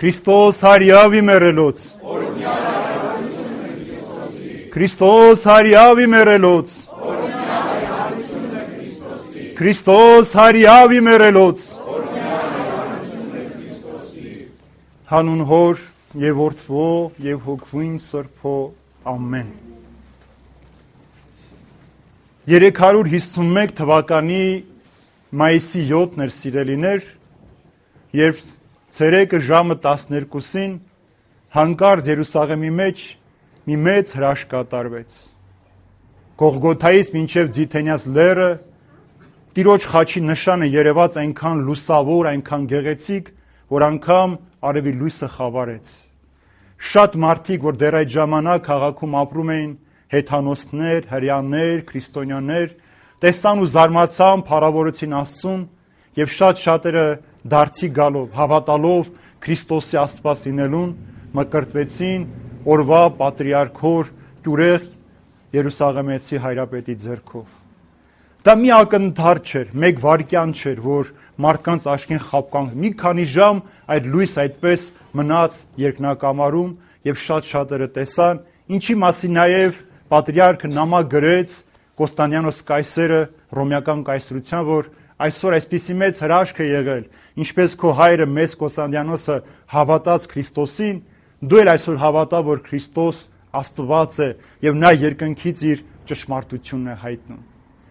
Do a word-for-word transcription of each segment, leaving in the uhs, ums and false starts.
Քրիստոս հարյավի մերելոց Քրիստոս հարյավի մերելոց Քրիստոս հարյավի մերելոց Հանուն Հոր եւ Որդվո եւ Հոգվին Սրբո ամեն երեք հարյուր հիսունմեկ թվականի մայիսի յոթն էր սիրելիներ, երբ ցերեկը ժամը տասներկուսին հանկարծ Երուսաղեմի մեջ մի մեծ հրաշք կատարվեց։ Գողգոթայից մինչև Ձիթենյաց լեռը Տիրոջ խաչի նշանը երևաց այնքան լուսավոր, այնքան գեղեցիկ, որ անգամ արևի լույսը խավարեց։ Շատ մարդիկ, որ դեռ այդ ժամանակ քաղաքում ապրում էին, հեթանոսներ, հրեաներ, քրիստոնյաներ, տեսան ու զարմացան, փառավորեցին Աստծուն, եւ շատ շատերը դարձի գալով, հավատալով Քրիստոսի Աստված լինելուն, մկրտվեցին օրվա պատրիարքոր Գյուրեղ Երուսաղեմեցի հայրապետի ձեռքով։ Դա մի ակնթարթ չէր, մեկ վայրկյան չէր, որ մարդկանց աչքին խապկանք։ Մի քանի ժամ այդ լույս այդպես մնաց երկնակամարում եւ շատ շատերը տեսան, ինչի մասին նաեւ պատրիարքը նամակ գրեց Կոստանդիանոս կայսերը ռոմեական կայսրության, որ այսօր այսպիսի մեծ հրաշք է եղել, ինչպես քո հայրը մեծ Կոստանդիանոսը հավատաց Քրիստոսին, դու էլ այսօր հավատա, որ Քրիստոս Աստված է եւ նա երկնքից իր ճշմարտությունն է հայտնում։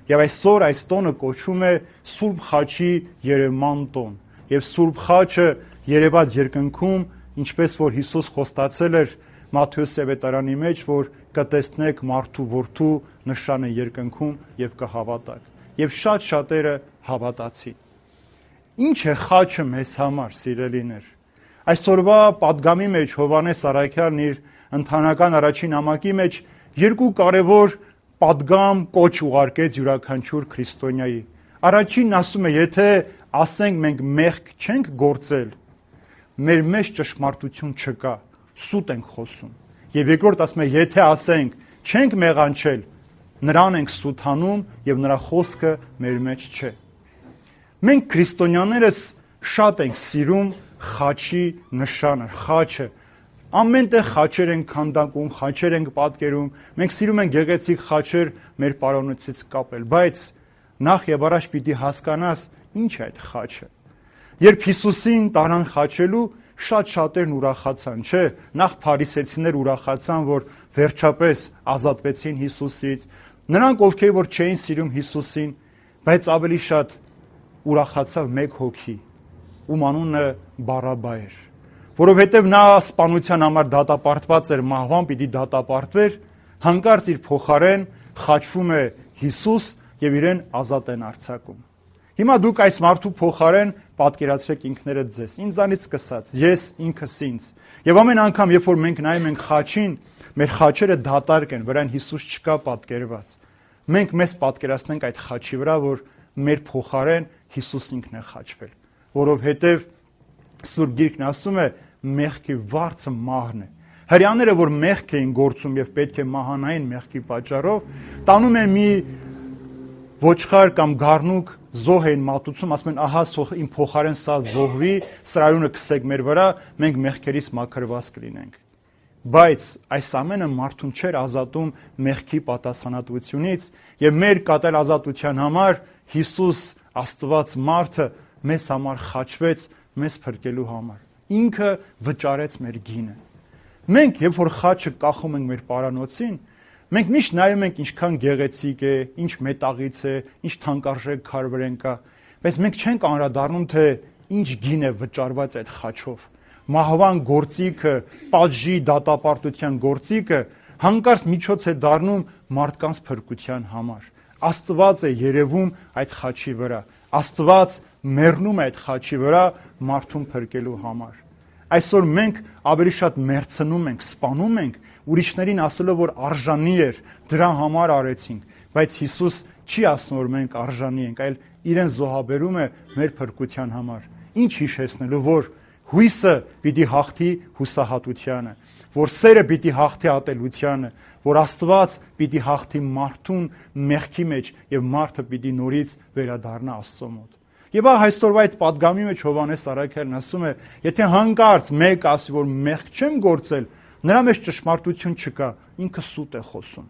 Եվ այսօր այս տոնը կոչվում է Սուրբ Խաչի երևման տոն։ Եվ Սուրբ Խաչը երևաց երկնքում, ինչպես որ Հիսուս խոստացել էր Մատթեոս Ավետարանի մեջ, որ կտեսնեք մարդու որդու նշանը երկնքում եւ կհավատաք։ Եվ շատ շատերը հավատացին։ Ինչ է խաչը մեզ համար, սիրելիներ։ Այսօրվա պատգամի մեջ Հովհաննես Առաքյալն իր ընթանական առաջին նամակի մեջ երկու կարևոր պատգամ կոչ ուղարկեց յուրաքանչյուր քրիստոնյայի։ Առաջինն ասում է, եթե ասենք մենք մեղք չենք գործել, մեր մեջ ճշմարտություն չկա, սուտ ենք խոսում։ Եվ երկրորդ ասում է, եթե ասենք չենք մեղանչել, նրան ենք սուտանում եւ նրա խոսքը մեր մեջ չէ։ Մենք քրիստոնյաներս շատ ենք սիրում խաչի նշանը, խաչը։ Ամենտեղ խաչեր ենք քանդակում, խաչեր ենք պատկերում, մենք սիրում ենք գեղեցիկ խաչեր մեր պարոնոցից կապել, բայց նախ եւ առաջ պիտի հասկանաս ինչ է այդ խաչը։ Երբ Հիսուսին տարան խաչելու, շատ շատերն ուրախացան, չէ՞։ Նախ փարիսեցիներ ուրախացան, որ վերջապես ազատվեցին Հիսուսից։ Նրանք, ովքեր որ չէին սիրում Հիսուսին, բայց ավելի շատ ուրախացավ մեկ հոգի, ում անունը Բարաբա էր, որովհետև նա սպանության համար դատապարտված էր, մահվան պիտի դատապարտվեր, հանկարծ իր փոխարեն խաչվում է Հիսուս եւ իրեն ազատ են արձակում։ Հիմա դուք այս մարդու փոխարեն պատկերացրեք ինքներդ ձեզ, ինձանից սկսած, ես ինքս ինձ։ Եվ ամեն անգամ, երբ որ մենք նայում ենք խաչին, մեր խաչերը դատարկ են, վրան Հիսուս չկա պատկերված։ Մենք մեզ պատկերացնենք այդ խաչի վրա, որ մեր փոխարեն Հիսուս ինքն է խաչվել, որովհետև Սուրբ Գիրքն ասում է, մեղքի վարձը մահն է։ Հրեաները, որ մեղք էին գործում եւ պետք է մահանային մեղքի պատճառով, տանում են մի ոչխար կամ գառնուկ, զոհ էին մատուցում, ասում են, ահա իմ փոխարեն սա զոհվի, սրայունը քսեք մեր վրա, մենք մեղքերից մաքրված կլինենք։ Բայց այս ամենը մարդուն չէր ազատում մեղքի պատասխանատվությունից եւ մեր կատել ազատության համար Հիսուս Աստված մարդը մեզ համար խաչվեց մեզ փրկելու համար։ Ինքը վճարեց մեր գինը։ Մենք, երբ որ խաչը կախում ենք մեր պարանոցին, մենք միշտ նայում ենք ինչքան գեղեցիկ է, ինչ մետաղից է, ինչ թանկարժեք քարվրեն կա, բայց մենք չենք անդրադառնում, թե ինչ գին է վճարված այդ խաչով։ Մահվան գործիքը, պատժի դատապարտության գործիքը հանկարծ միջոց է դառնում մարդկանց փրկության համար։ Աստված է երևում այդ խաչի վրա։ Աստված մեռնում է այդ խաչի վրա մարդուն փրկելու համար։ Այսօր մենք ավելի շատ մերցնում ենք, սպանում ենք, ուրիշներին ասելով, որ արժանի էր, դրա համար արեցինք, բայց Հիսուս չի ասում, որ մենք արժանի ենք, այլ իրեն զոհաբերում է մեր փրկության համար։ Ինչ հիշեցնելու, որ հույսը պիտի հաղթի հուսահատությանը, որ սերը պիտի հաղթի ատելությանը, որ Աստված պիտի հաղթի մարդուն մեղքի մեջ եւ մարդը պիտի նորից վերադառնա Աստծո մոտ։ Եվ այսօրվա այդ պատգամի մեջ Հովհաննես Առաքյալն ասում է, եթե հանկարծ մեկ ասի, որ մեղք չեմ գործել, նրա մեջ ճշմարտություն չկա, ինքը սուտ է խոսում։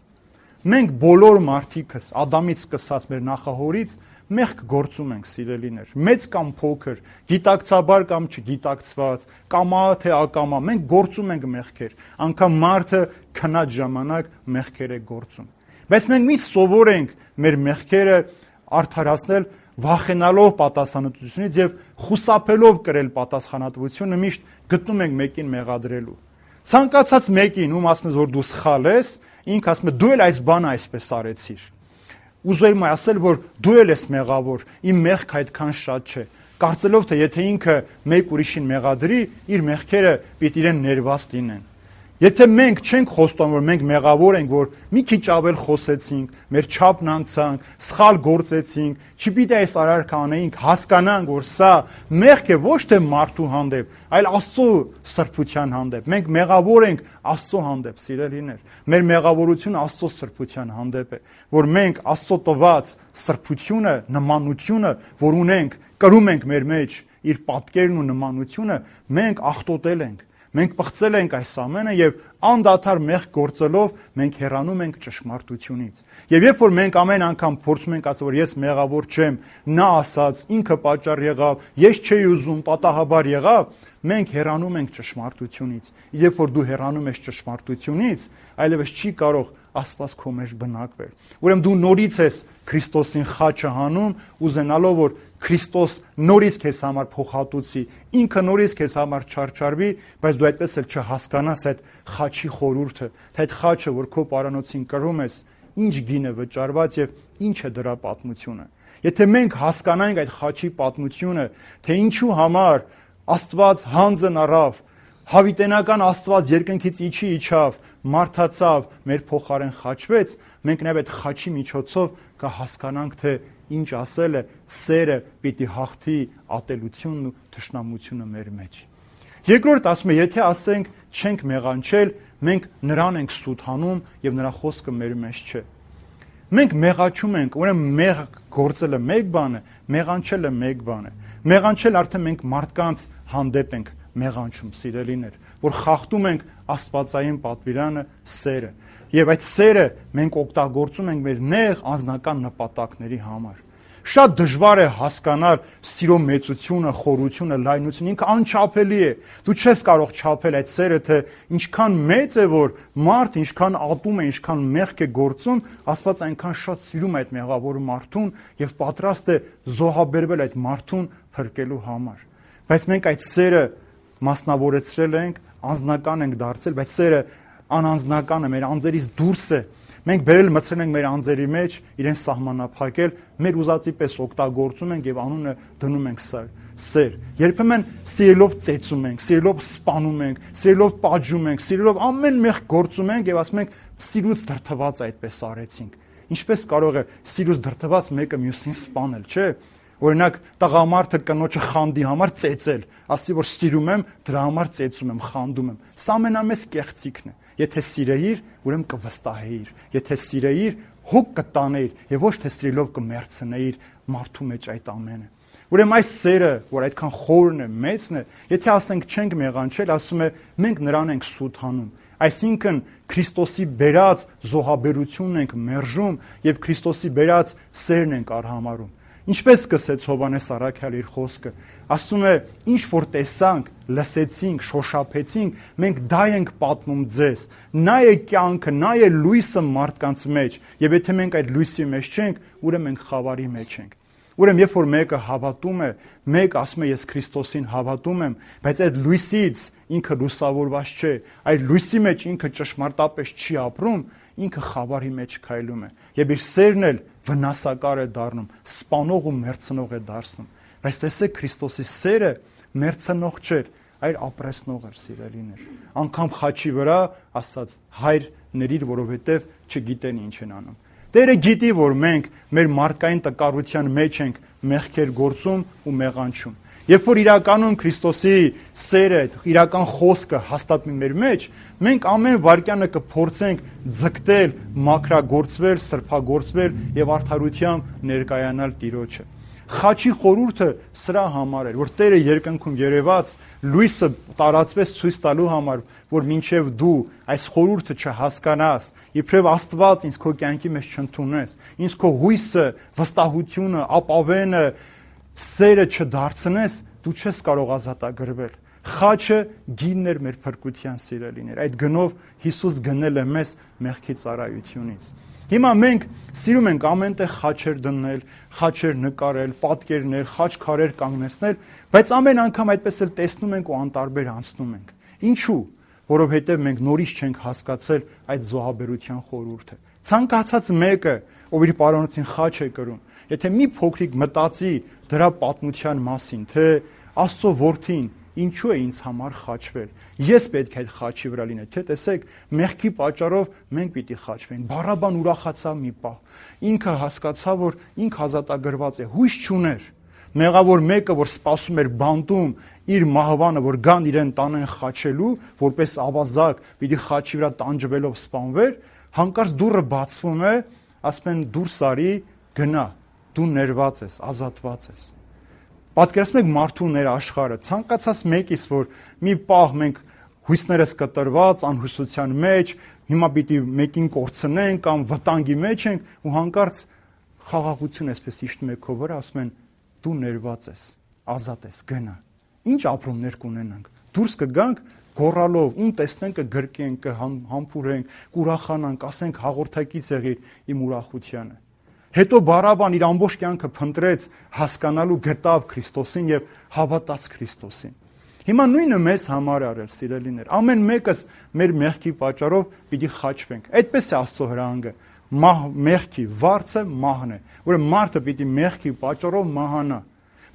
Մենք բոլոր մարդիկս, Ադամից սկսած մեր նախահորից, մեղք գործում ենք, սիրելիներ, մեծ կամ փոքր, գիտակցաբար կամ չգիտակցված, կամա թե ակամա, մենք գործում ենք մեղքեր, անգամ մարդը քնած ժամանակ մեղքեր է գործում։ Բայց մենք մի սովորենք մեր մեղքերը արդարացնել, վախենալով պատասխանատվությունից եւ խուսափելով կրել պատասխանատվությունը, միշտ գտնում ենք մեկին մեղադրելու։ Ցանկացած մեկին, ում ասում ես, որ դու սխալ ես, ինքը ասում է, դու էլ այս բանը այսպես արեցիր։ Ուզում եմ ասել, որ դու էլ ես մեղավոր, իմ մեղքը այդքան շատ չէ, կարծելով թե եթե ինքը մեկ ուրիշին մեղադրի, իր մեղքերը պիտի իրեն ներված լինեն։ Եթե մենք չենք խոստանում, որ մենք մեղավոր ենք, որ մի քիչ ավել խոսեցինք, մեր չափն անցանք, սխալ գործեցինք, չպիտի այս արարքը անեինք, հասկանանք, որ սա մեղք է ոչ թե մարդու հանդեպ, այլ Աստծո սրբության հանդեպ։ Մենք մեղավոր ենք Աստծո հանդեպ, սիրելիներ։ Մեր մեղավորությունը Աստծո սրբության հանդեպ է, որ մենք Աստծո տված սրբությունը, նմանությունը, որ ունենք, կրում ենք մեր մեջ իր պատկերն ու նմանությունը, մենք աղտոտել ենք։ Մենք պղծել ենք այս ամենը եւ անդադար մեղք գործելով մենք հեռանում ենք ճշմարտությունից։ Եվ երբ որ մենք ամեն անգամ փորձում ենք ասել, որ ես մեղավոր չեմ, նա ասաց, ինքը պատճառ եղավ, ես չէի ուզում, պատահաբար եղավ, մենք հեռանում ենք ճշմարտությունից։ Երբ որ դու հեռանում ես ճշմարտությունից, այլևս չի կարող Աստված քո մեջ բնակվել։ Ուրեմն դու նորից ես Քրիստոսին խաչը հանում, ուզենալով որ Քրիստոս նորից քեզ համար փոխհատուցի, ինքը նորից քեզ համար չարչարվի, բայց դու այդպես էլ չհասկանաս այդ խաչի խորհուրդը, թե այդ խաչը, որ քո պարանոցին կրում ես, ինչ գին է վճարված եւ ինչ է դրա պատմությունը։ Եթե մենք հասկանանք այդ խաչի պատմությունը, թե ինչու համար Աստված հանձն առավ, հավիտենական Աստված երկնքից իջի իջավ, մարդացավ, մեր փոխարեն խաչվեց, մենք նաև այդ խաչի միջոցով կհասկանանք, թե ինչ ասել է, սերը պիտի հաղթի ատելությունն ու թշնամությունը մեր մեջ։ Երկրորդ ասում է, եթե ասենք չենք մեղանչել, մենք նրան ենք սուտ հանում եւ նրա խոսքը մեր մեջ չէ։ Մենք մեղաչում ենք, ուրեմն մեղ գործելը մեկ բան է, մեղանչելը մեկ բան է։ Մեղանչել արդեն մենք մարդկանց հանդեպ ենք մեղանչում, սիրելիներ, որ խախտում ենք աստվածային պատվիրանը, սերը։ Եվ այդ սերը մենք օգտագործում ենք մեր նեղ անձնական նպատակների համար։ Շատ դժվար է հասկանալ սիրո մեծությունը, խորությունը, լայնությունը, ինքը անչափելի է։ Դու չես կարող չափել այդ սերը, թե ինչքան մեծ է, որ մարդ ինչքան ատում է, ինչքան մեղք է գործում, Աստված այնքան շատ սիրում է այդ մեղավոր մարդուն եւ պատրաստ է զոհաբերվել այդ մարդուն փրկելու համար։ Բայց մենք այդ սերը մասնավորեցրել ենք, անձնական ենք դարձել, բայց սերը անանձնական է, մեր անձերից դուրս է։ Մենք բերել մցրել ենք մեր անձերի մեջ, իրեն սահմանափակել, մեր ուզածի պես օգտագործում ենք եւ անունը դնում ենք սեր։ Երբեմն սիրելով ծեծում ենք, սիրելով սպանում ենք, սիրելով պատժում ենք, սիրելով ամեն մեղք գործում ենք եւ ասում ենք սիրուց դրթված այդպես արեցինք։ Ինչպես կարող է սիրուց դրթված մեկը մյուսին սպանել, չէ՞։ Օրինակ տղամարդը կնոջը խանդի համար ծեծել, ասի որ սիրում եմ, դրա համար ծեծում եմ, խանդում եմ։ Սա ամենամեծ կեղծիքն է։ Եթե սիրեիր, ուրեմն կվստահեիր։ Եթե սիրեիր, հոգ կտանեիր եւ ոչ թե սիրելով կմերցնեիր մարդու մեջ այդ ամենը։ Ուրեմն այս սերը, որ այդքան խորն է, մեծն է, եթե ասենք չենք մեղանչել, ասում է մենք նրան ենք սուտ հանում։ Այսինքն Քրիստոսի բերած զոհաբերությունն ենք մերժում եւ Քրիստոսի բերած սերն ենք արհամարում։ Ինչպես սկսեց Հովհաննես Առաքյալը իր խոսքը, ասում է, ինչ որ տեսանք, լսեցինք, շոշափեցինք, մենք դա ենք պատմում ձեզ։ Նա է կյանքը, նա է լույսը մարդկանց մեջ, եւ եթե մենք այդ լույսի մեջ չենք, ուրեմն մենք խավարի մեջ ենք։ Ուրեմն երբ որ մեկը հավատում է, մեկ ասում է ես Քրիստոսին հավատում եմ, բայց այդ լույսից ինքը լուսավորված չէ, այդ լույսի մեջ ինքը ճշմարտապես չի ապրում, ինքը խավարի մեջ քայլում է եւ իր սերն էլ վնասակար է դառնում, սպանող ու մերցնող է դարձնում։ Բայց տեսեք Քրիստոսի սերը մերցնող չէր, այլ ապրեսնող էր, սիրելիներ։ Անկամ խաչի վրա ասաց հայր ներիր, որովհետեւ չգիտեն ինչ են անում։ Տերը գիտի, որ մենք մեր մարդկային տկարության մեջ ենք մեղքեր գործում ու մեղանչում։ Երբ որ իրականում Քրիստոսի սերը, իրական խոսքը հաստատվի մեր մեջ, մենք ամեն վայրկյանը կփորձենք ձգտել, մաքրագործվել, սրբագործվել եւ արդարությամբ ներկայանալ Տիրոջը։ Խաչի խորհուրդը սրա համար էր, որ Տերը երկնքում երևաց, լույսը տարածվեց ցույց տալու համար, որ մինչև դու այս խորհուրդը չհասկանաս, իբրև Աստված ինձ քո կյանքի մեջ չընդունես, ինձ քո հույսը, վստահությունը, ապավենը, սերը չդարձնես, դու չես կարող ազատագրվել։ Խաչը գինն էր մեր փրկության սիրելիներ։ Այդ գնով Հիսուս գնել է մեզ մեղքի ծառայությունից։ Հիմա մենք սիրում ենք ամենտեղ խաչեր դնել, խաչեր նկարել, պատկերներ, խաչքարեր կանգնեցնել, բայց ամեն անգամ այդպես էլ տեսնում ենք ու անտարբեր անցնում ենք։ Ինչու՞։ Որովհետև մենք նորից չենք հասկացել այդ զոհաբերության խորհուրդը։ Ցանկացած մեկը, ով իր պարոնոցին խաչ է կրում, եթե մի փոքրիկ մտածի դրա պատմության մասին, թե Աստծո որդին ինչու է ինձ համար խաչվել։ Ես պետք է այդ խաչի վրա լինել, թե տեսեք, մեղքի պատճառով մենք պիտի խաչվենք։ Բարաբան ուրախացավ մի պահ։ Ինքը հասկացավ, որ ինքը ազատագրված է, հույս չուներ։ Մեղավոր մեկը, որ սպասում էր բանտում իր մահվանը, որ գան իրեն տանեն խաչելու, որպես ավազակ, պիտի խաչի վրա տանջվելով սպանվեր, հանկարծ դուռը բացվում է, ասում են դուրս արի, գնա, դու ներված ես, ազատված ես։ Պատկերացնում եք մարդու ներաշխարհը, ցանկացած մեկից, որ մի պահ մենք հույսներս կտրված, անհուսության մեջ, հիմա պիտի մեկին կորցնենք կամ վտանգի մեջ ենք, ու հանկարծ խաղաղություն այսպես իջնում է քո վրա, ասում են դու ներված ես, ազատ ես, գնա։ Ինչ ապրումներ կունենանք։ Դուրս կգանք գոռալով, ում տեսնենք կգրկենք, կհամբուրենք, կուրախանանք, ասենք հաղորդակից եղիր իմ ուրախությանը։ Հետո Բարաբան իր ամբողջ կյանքը փնտրեց հասկանալու, գտավ Քրիստոսին եւ հավատաց Քրիստոսին։ Հիմա նույնը մեզ համար արել, սիրելիներ։ Ամեն մեկս մեր մեղքի պատճառով պիտի խաչվենք։ Այդպես է Աստծո հրահանգը։ Մահ մեղքի վարձը մահն է, որը մարդը պիտի մեղքի պատճառով մահանա։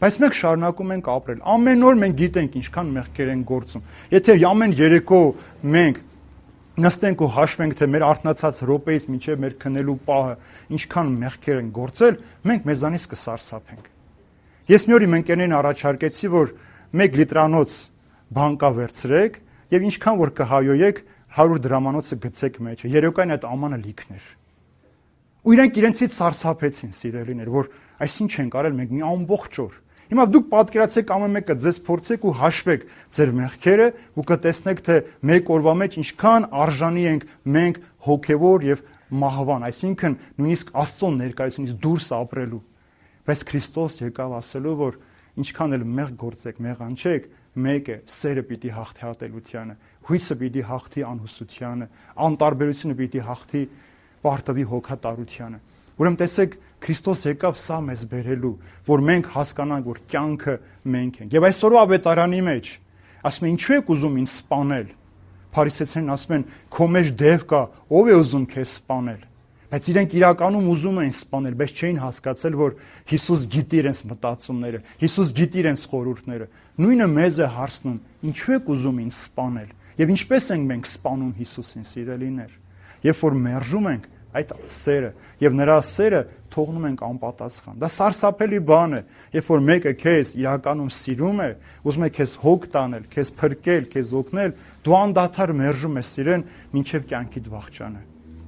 Բայց մենք շարունակում ենք ապրել։ Ամեն օր մենք գիտենք ինչքան մեղքեր են գործում։ Եթե ամեն երեկո մենք նստենք ու հաշվենք, թե մեր արթնացած րոպեից մինչև մեր քնելու պահը ինչքան մեղքեր են գործել, մենք մեզանից կսարսափենք։ Ես մի օր իմ ընկերներին առաջարկեցի, որ մեկ լիտրանոց բանկա վերցրեք եւ ինչքան որ կհայոյեք հարյուր դրամանոցը գցեք մեջը։ Երեկոյան այդ ամանը լիքն էր։ Ու իրանք իրենցից սարսափեցին, սիրելիներ, որ այսինչ ենք արել մենք մի ամբողջ օր։ Հիմա դուք պատկերացեք ամեն մեկը ձեզ փորձեք ու հաշվեք ձեր մեղքերը ու կտեսնեք, թե մեկ օրվա մեջ ինչքան արժանի ենք մենք հոգևոր եւ մահվան, այսինքն նույնիսկ Աստծո ներկայությունից դուրս ապրելու։ Բայց Քրիստոս եկավ ասելու, որ ինչքան էլ մեղ գործեք, մեղանչեք, մեկ է, սերը պիտի հաղթի ատելությանը, հույսը պիտի հաղթի անհուսությանը, անտարբերությունը պիտի հաղթի պարտվի հոգատարությանը։ Ուրեմն տեսեք, Քրիստոս եկավ սա մեզ բերելու, որ մենք հասկանանք, որ կյանքը մենք ենք։ Եվ այսօրվա ավետարանի մեջ ասում են, ինչու եք ուզում ինձ սպանել։ Փարիսեցիներն ասում են, քո մեջ դև կա, ով է ուզում քեզ սպանել։ Բայց իրենք իրականում ուզում էին սպանել, բայց չէին հասկացել, որ Հիսուս գիտի իրենց մտածումները, Հիսուս գիտի իրենց խորհուրդները։ Նույնը մեզ է հարցնում, ինչու եք ուզում ինձ սպանել։ Եվ ինչպես ենք մենք սպանում Հիսուսին, սիրելիներ։ Երբ որ մերժում ենք այդ սերը եւ նրա սերը թողնում ենք անպատասխան։ Դա սարսափելի բան է, երբ որ մեկը քեզ իրականում սիրում է, ուզում է քեզ հոգ տանել, քեզ փրկել, քեզ օգնել, դու անդադար մերժում ես իրեն մինչև կյանքիդ վախճանը։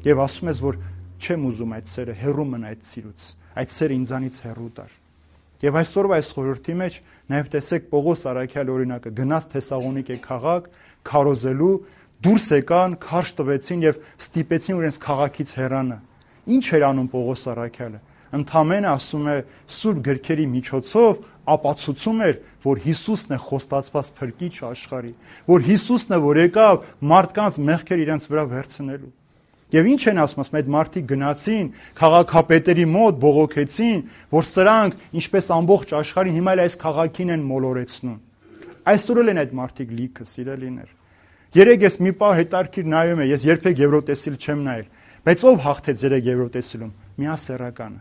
Եվ ասում ես, որ չեմ ուզում այդ սերը, հեռու մնա այդ սիրուց, այդ սերը ինձանից հեռու տար։ Եվ այսօրվա այս խորհրդի մեջ նաև տեսեք Պողոս առաքյալ օրինակը, գնաց Թեսաղոնիկե քաղաք, քարոզելու, դուրս եկան, քարշ տվեցին եւ ստիպեցին իրենց քաղաքից հեռանա։ Ինչ էր անում Պողոս առաքյալը։ Ընդամենը ասում է սուրբ գրքերի միջոցով ապացուցում էր, որ Հիսուսն է խոստացված փրկիչ աշխարհի, որ Հիսուսն է, որ եկավ մարդկանց մեղքեր իրենց վրա վերցնելու։ Եվ ինչ են ասում, ասում այդ մարդիկ գնացին քաղաքապետերի մոտ, բողոքեցին, որ սրանք ինչպես ամբողջ աշխարհին հիմա էլ այս քաղաքին են մոլորեցնում։ Այսօր էլ են այդ մարդիկ լիքը, սիրելիներ։ Երեք ես մի պահ հետարքիր նայում եմ, ես երբեք Եվրոտեսիլ չեմ նայել, բայց ով հաղթեց երեք Եվրոտեսիլում։ Միասեռականը։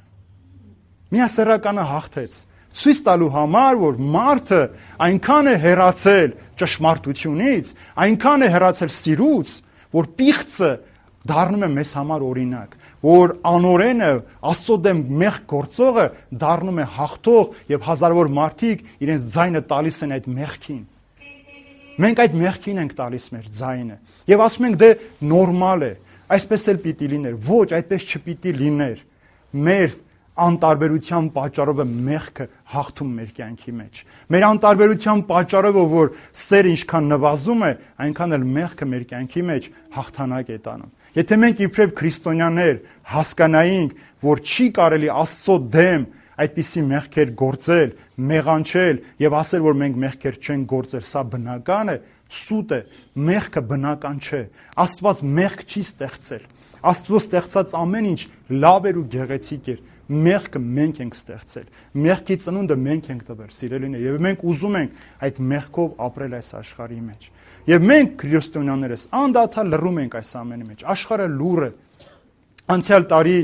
Միասեռականը հաղթեց։ Ցույց տալու համար, որ մարդը այնքան է հեռացել ճշմարտությունից, այնքան է հեռացել սիրուց, որ պիղծը դառնում է մեզ համար օրինակ, որ անօրենը, Աստծո դեմ մեղք գործողը դառնում է հաղթող եւ հազարավոր մարդիկ իրենց ձայնը տալիս են այդ մեղքին։ Մենք այդ մեղքին ենք տալիս մեր ձայնը եւ ասում ենք դե նորմալ է, այսպես էլ պիտի լիներ։ Ոչ, այդպես չպիտի լիներ։ Մեր անտարբերության պատճառով է մեղքը հաղթում մեր կյանքի մեջ։ Մեր անտարբերության պատճառով, որ սերը ինչքան նվազում է, այնքան էլ մեղքը մեր կյանքի մեջ հաղթանակ է տանում։ Եթե մենք իբրև քրիստոնյաներ հասկանայինք, որ չի կարելի Աստծո դեմ այդպիսի մեղքեր գործել, մեղանչել եւ ասել, որ մենք մեղքեր չենք գործել, սա բնական է, սուտ է, մեղքը բնական չէ։ Աստված մեղք չի ստեղծել։ Աստծո ստեղծած ամեն ինչ լավ էր ու գեղեցիկ էր։ Մեղքը մենք ենք ստեղծել։ Մեղքի ծնունդը մենք ենք տվել, սիրելիներ, եւ մենք ուզում ենք այդ մեղքով ապրել այս աշխարհի մեջ։ Եվ մենք քրիստոնյաներս անդադար լռում ենք այս ամենի մեջ։ Աշխարհը լուռ է։ Անցյալ տարի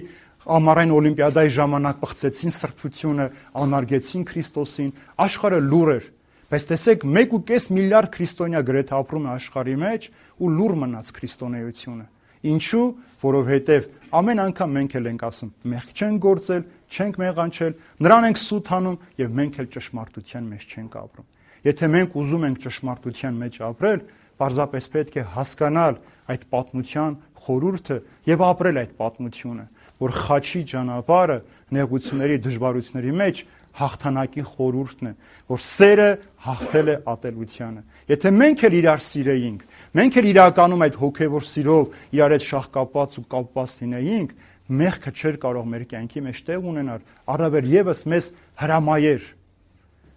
ամառային օլիմպիադայի ժամանակ պղծեցին սրբությունը, անարգեցին Քրիստոսին, աշխարհը լուռ էր։ Բայց տեսեք, մեկ ու կես միլիարդ քրիստոնյա գրեթե ապրում է աշխարհի մեջ ու լուռ մնաց քրիստոնեությունը։ Ինչու? Որովհետև ամեն անգամ մենք էլ ենք ասում, մեղք չենք գործել, չենք մեղանչել, նրան ենք սութանում եւ մենք էլ ճշմարտության մեջ չենք ապրում։ Եթե մենք ուզում ենք ճշմարտության մեջ ապրել, պարզապես պետք է հասկանալ այդ պատմության խորհուրդը եւ ապրել այդ պատմությունը, որ խաչի ճանապարհը նեղությունների, դժվարությունների մեջ հաղթանակի խորհուրդն է, որ սերը հաղթել է ատելությանը։ Եթե մենք էլ իրար սիրեինք, մենք էլ իրականում այդ հոգևոր սիրով իրար հետ շաղկապված ու կապված լինեինք, մեղքը չէր կարող մեր կյանքի մեջ տեղ ունենալ, առավել եւս մեզ հրամայեր,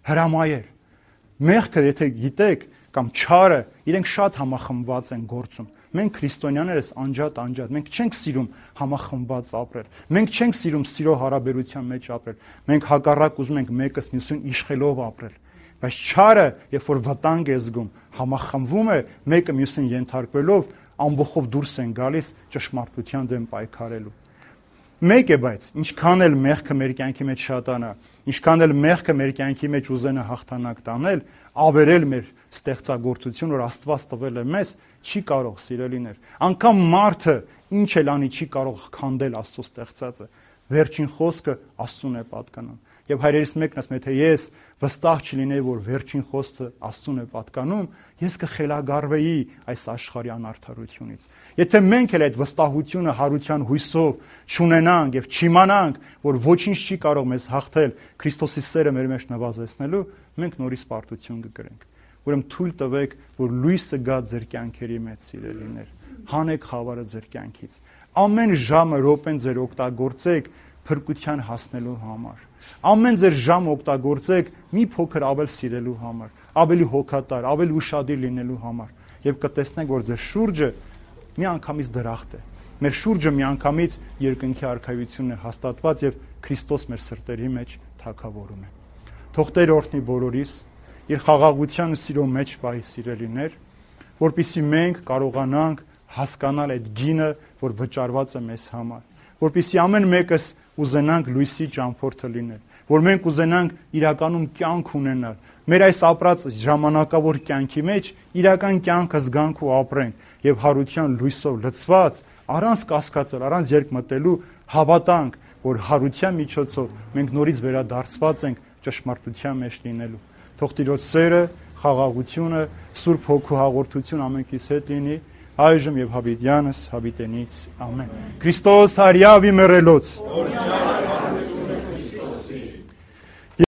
հրամայեր։ Մեղքը, եթե գիտեք, կամ չարը, իրենք շատ համախմբված են գործում։ Մենք քրիստոնյաներս անջատ անջատ, մենք չենք սիրում համախմբված ապրել։ Մենք չենք սիրում սիրո հարաբերության մեջ ապրել։ Մենք հակառակ ուզում ենք մեկս մյուսին իշխելով ապրել։ Բայց չարը, երբ որ վտանգ է զգում, համախմբվում է, մեկը մյուսին ենթարկվելով, ամբողջով դուրս են գալիս ճշմարտության դեմ պայքարելու։ Մեկ է, բայց ինչքան էլ մեղքը մեր կյանքի մեջ շատանա, ինչքան էլ մեղքը մեր կյանքի մեջ ուզենա հաղթանակ տանել, ավերել մեր ստեղծագործություն, որ Աստված տվել է մեզ, չի կարող, սիրելիներ։ Անկամ մարդը ինչ էլ անի, չի կարող քանդել Աստծո ստեղծածը։ Վերջին խոսքը Աստծուն է պատկանում։ Եվ հայրերից մեկն ասում է, թե ես վստահ չլինեի, որ վերջին խոսքը Աստծուն է պատկանում, ես կխելագարվեի այս աշխարհի անարդարությունից։ Եթե մենք էլ այդ վստահությունը հարության հույսով չունենանք եւ չիմանանք, որ ոչինչ չի կարող մեզ հաղթել Քրիստոսի սերը մեր մեջ նվազեցնելու, մենք նորից պարտություն կգրենք։ Ուրեմն թույլ տվեք, որ լույսը գա ձեր կյանքերի մեջ, սիրելիներ։ Հանեք խավարը ձեր կյանքից։ Ամեն ժամը, րոպեն ձեր օգտագործեք փրկության հասնելու համար։ Ամեն ձեր ժամ օգտագործեք մի փոքր ավել սիրելու համար, ավելի հոգատար, ավելի ուշադիր լինելու համար, եւ կտեսնեք, որ ձեր շուրջը միանգամից դրախտ է։ Մեր շուրջը միանգամից երկնքի արքայությունն է հաստատված եւ Քրիստոս մեր սրտերի մեջ թագավորում է։ Թող Տեր օրհնի բոլորիս, իր խաղաղության ու սիրո մեջ պահի, սիրելիներ, որպեսզի մենք կարողանանք հասկանալ այդ գինը, որ վճարված է մեզ համար, որպեսզի ամեն մեկս ուզենանք լույսի ճամփորդը լինել, որ մենք ուզենանք իրականում կյանք ունենալ, մեր այս ապրած ժամանակավոր կյանքի մեջ իրական կյանքը զգանք ու ապրենք եւ հարության լույսով լցված, առանց կասկածել, առանց երկմտելու հավատանք, որ հարության միջոցով մենք նորից վերադարձված ենք ճշմարտության մեջ լինելու։ Թող Տիրոջ սերը, խաղաղությունը, Սուրբ Հոգու հաղորդություն ամենքիս հետ լինի, այժմ եւ հավիտյանս հավիտենից ամեն։ Քրիստոս հարյավի մեռելոց։